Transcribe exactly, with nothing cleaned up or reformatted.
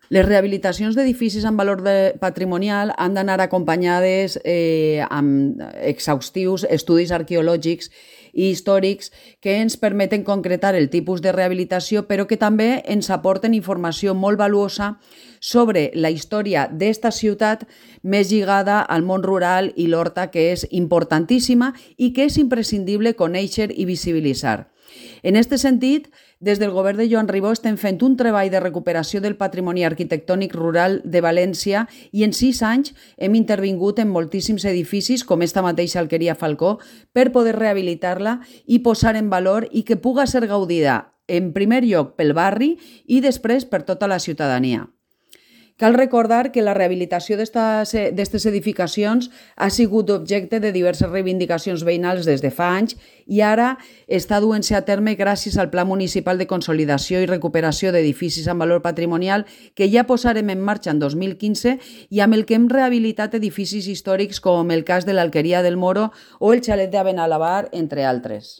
Les rehabilitacions d'edificis amb valor de patrimonial han d'anar acompanyades eh, amb exhaustius estudis arqueològics i històrics que ens permeten concretar el tipus de rehabilitació, però que també ens aporten informació molt valuosa sobre la història d'esta ciutat més lligada al món rural i l'horta, que és importantíssima i que és imprescindible conèixer i visibilitzar. En aquest sentit, des del govern de Joan Ribó estem fent un treball de recuperació del patrimoni arquitectònic rural de València i en sis anys hem intervingut en moltíssims edificis, com esta mateixa alqueria Falcó, per poder rehabilitar-la i posar en valor i que puga ser gaudida en primer lloc pel barri i després per tota la ciutadania. Cal recordar que la rehabilitació d'aquestes edificacions ha sigut objecte de diverses reivindicacions veïnals des de fa anys i ara està duent-se a terme gràcies al Pla Municipal de Consolidació i Recuperació d'Edificis amb Valor Patrimonial que ja posarem en marxa en dos mil quinze i amb el que hem rehabilitat edificis històrics com el cas de l'Alqueria del Moro o el xalet de Benalabar, entre altres.